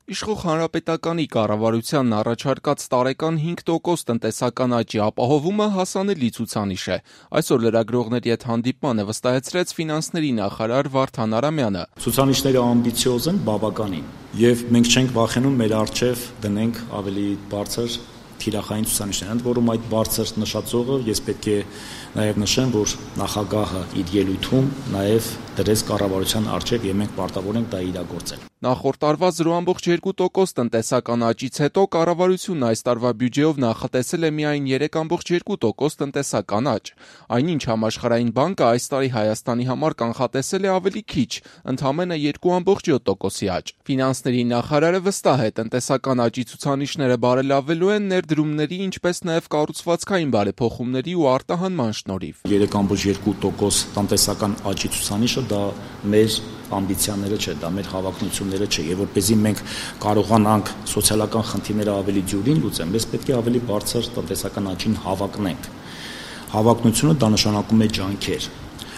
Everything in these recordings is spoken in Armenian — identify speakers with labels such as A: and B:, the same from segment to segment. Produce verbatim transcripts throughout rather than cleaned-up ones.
A: Իշխող Հանրապետականի կառավարությանն առաջարկած տարեկան հինգ տոկոս տնտեսական աճի ապահովումը հասանելի ցուցանիշ է։ Այսօր լրագրողների հետ հանդիպմանը վստահեցրեց ֆինանսների նախարար Վարդան Արամյանը։
B: Ցուցանիշները ամբիցիոզ են, բավականին, եւ մենք չենք վախենում մեր առջև դնենք ավելի բարձր թիրախային ցուցանիշներ, ընդ որում այդ բարձր նշածողը ես պետք է նաև նշեմ, որ նախագահը իր ելույթում նաև դրեց կառավարության առջև եւ մենք պարտավոր ենք դա իրագործել։
A: Նախորդ տարվա զրո կόμma երկու տոկոս տնտեսական աճից հետո կառավարությունն այս տարվա բյուջեով նախատեսել է միայն երեք կόμma երկու տոկոս տնտեսական աճ։ Այնինչ Համաշխարհային բանկը այս տարի Հայաստանի համար կանխատեսել է ավելի քիչ, ընդամենը երկու կόμma յոթ տոկոսի աճ։ Ֆինանսների նախարարը վստահ է, տնտեսական աճի ցուցանիշները բարելավելու են ներդրումների, ինչպես նաև կառուցվածքային բարեփոխումների ու արտահանման շնորհիվ։
B: երեք կόμma երկու տոկոս տնտեսական աճի ցուցանիշը դա մեր ամբիցիաները չէ, դա մեր հավակնությունները չէ, եւ որպեսզի մենք կարողանանք սոցիալական խնդիրները ավելի դյուրին լուծել, մենք պետք է ավելի բարձր տնտեսական աճին հավակնենք։ Հավակնությունը դա նշանակում է ջանքեր։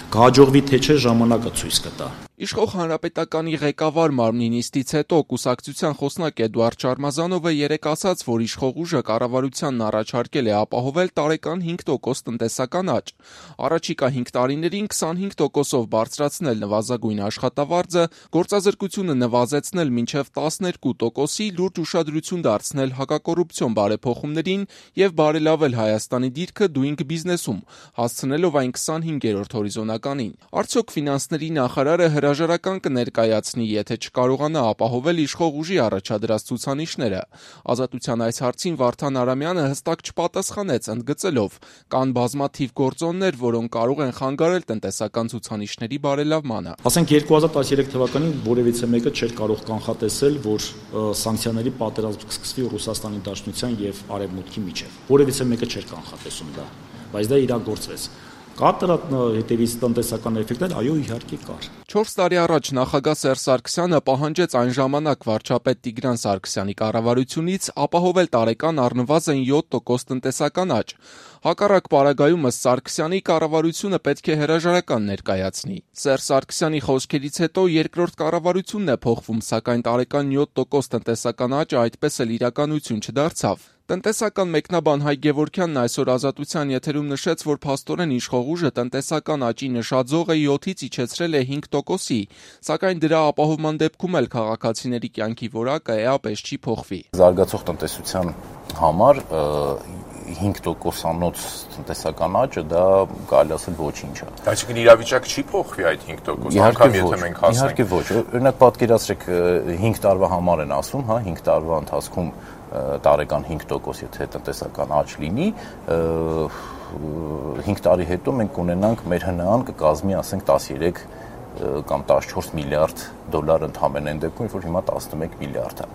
B: Կհաջողվի թե չէ ժամանակը ցույց կտա։
A: Իշխող Հանրապետականի ղեկավար մարմնի նիստից հետո կուսակցության խոսնակ Էդուարդ Շարմազանովը երեկ ասաց, որ իշխող ուժը կառավարությանն առաջարկել է ապահովել տարեկան հինգ տոկոս տնտեսական աճ։ Առաջիկա հինգ տարիներին քսանհինգ տոկոսով բարձրացնել նվազագույն աշխատավարձը, գործազրկությունը նվազեցնել մինչև տասներկու տոկոսի, լուրջ ուշադրություն դարձնել հակակոռուպցիոն բարեփոխումներին եւ բարելավել Հայաստանի դիրքը doing business-ում, հասցնելով այն քսանհինգերորդ հորիզոնականին։ Արդյոք ֆինանսների նախարարը հրաժարական կներկայացնի, եթե չկարողանա ապահովել իշխող ուժի առաջադրած ցուցանիշները։ Ազատության այս հարցին Վարդան Արամյանը հստակ չպատասխանեց, ընդգծելով. կան բազմաթիվ գործոններ, որոնք կարող են խանգարել տնտեսական ցուցանիշների բարելավմանը։
B: Ասենք երկու հազար տասներեք թվականին որևիցե մեկը չէր կարող կանխատեսել, որ սանկցիաների պատերազմ կսկսվի Ռուսաստանի Դաշնության եւ Արևմուտքի միջեւ։ Որևիցե մեկը չէր կանխատեսում դա, բայց դա իրագործվեց։ Կա դրա հետևից տնտեսական էֆեկտներ, այո, իհարկե կար։
A: Չորս տարի առաջ նախագահ Սերժ Սարգսյանը պահանջեց այն ժամանակ վարչապետ Տիգրան Սարգսյանի կառավարությունից ապահովել տարեկան առնվազն յոթ տոկոս տնտեսական աճ։ Հակառակ պարագայում ըստ Սարգսյանի կառավարությունը պետք է հրաժարական ներկայացնի։ Սերժ Սարգսյանի խոսքերից հետո երկրորդ կառավարությունն է փոխվում, սակայն տարեկան յոթ տոկոս տնտեսական աճը այդպես էլ իրականություն չդարձավ։ Տնտեսական մեկնաբան Հայ Գևորգյանն այսօր Ազատության եթերում նշեց, որ փաստորեն իշխող ուժը տնտեսական աճի նշաձողը յոթից իջեցրել է հինգ տոկոսի, սակայն դրա ապահովման դեպքում էլ քաղաքացիների կյանքի որակը էապես չի փոխվի։
C: Զարգացող տնտեսության համար հինգ տոկոսանոց տնտեսական աճը դա կարելի ասել ոչինչ է։
D: Այսինքն իրավիճակը չի փոխվի այդ հինգ տոկոս, անգամ եթե մենք հասնենք։
C: Իհարկե ոչ։ Օրինակ պատկերացրեք հինգ տարվա համար են ասում, հա, հինգ տարվա ընթացքում տարեկան հինգ տոկոս եթե տնտեսական աճ լինի, հինգ տարի հետո մենք կունենանք մեր հնան կկազմի, ասենք, տասներեք կամ տասնչորս միլիարդ դոլար ընդհանրեն այն դեպքում, որ հիմա տասնմեկ միլիարդ է։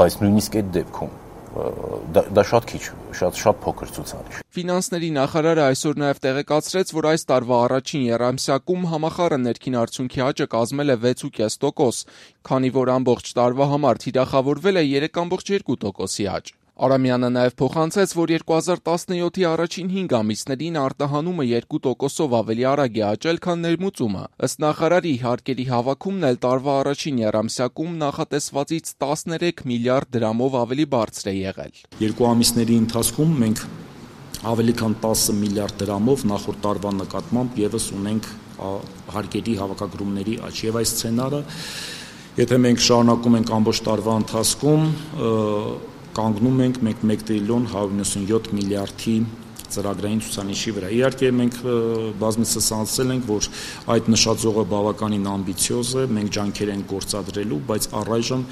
C: Բայց նույնիսկ այդ դեպքում դա շատ քիչ, շատ շատ փոքր ցուցանիշ։
A: Ֆինանսների նախարարը այսօր նաև տեղեկացրեց, որ այս տարվա առաջին եռամսյակում համախառն ներքին արդյունքի աճը կազմել է վեց կόμma պենս տոկոս, քանի որ ամբողջ տարվա համար թիրախավորվել է երեք կόμma երկու տոկոսի աճ։ Արամյանը նաև փոխանցեց, որ երկու հազար տասնյոթի առաջին հինգ ամիսներին արտահանումը երկու տոկոսով ավելի արագ է աճել, քան ներմուծումը։ Ըստ նախարարի, հարկերի հավաքումն էլ տարվա առաջին եռամսյակում նախատեսվածից տասներեք միլիարդ դրամով ավելի բարձր է եղել։
B: Երկու ամիսների ընթացքում մենք ավելի քան տասը միլիարդ դրամով նախորդ տարվա նկատմամբ եւս ունենք հարկերի հավաքագրումների աճ։ Եվ այս սցենարը, եթե մենք շարունակում ենք ամբողջ տարվա ընթացքում, կանգնում ենք մենք մեկ տրիլիոն հարյուր նվսանյոթ միլիարդի ծրագրային ցուցանիշի վրա։ Իհարկե մենք բազմիցս ասել ենք, որ այդ նշաձողը բավականին ամբիցիոզ է, մենք ջանքեր ենք գործադրելու, բայց առայժմ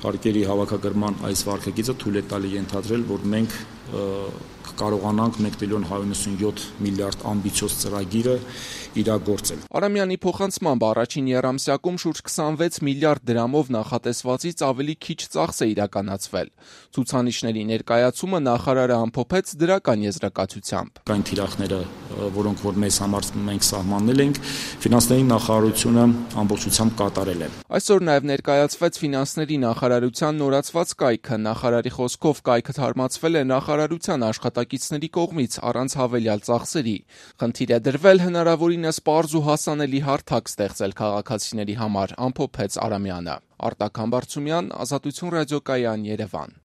B: հարկերի հավաքագրման այս վարքագիծը թույլ է տալի ենթադրել, որ մենք կարողանանք մեկ տրիլիոն հարյուր նվսանյոթ միլիարդ ամբիցիոզ ծրագիրը իրագործել։
A: Արամյանի փոխանցմամբ առաջին եռամսյակում շուրջ քսանվեց միլիարդ դրամով նախատեսվածից ավելի քիչ ծախս է իրականացվել։ Ցուցանիշների ներկայացումը նախարարը ամփոփեց դրական եզրակացությամբ։
B: Կային թիրախները, որոնք որ մեզ համար մենք սահմանել ենք, ֆինանսների նախարարությունը ամբողջությամբ կատարել է։
A: Այսօր նաև ներկայացվեց ֆինանսների նախարարության նորացված կայքը։ Նախարարի խոսքով կայքը թարմացվել է նախարար նավթարարության աշխատակիցների կողմից առանց հավելյալ ծախսերի։ Խնդիր է դրվել հնարավորինս պարզ ու հասանելի հարթակ ստեղծել քաղաքացիների համար, ամփոփեց Արամյանը։ Արտակ Համբարձումյան, Ազատություն ռադիոկայան, Երևան։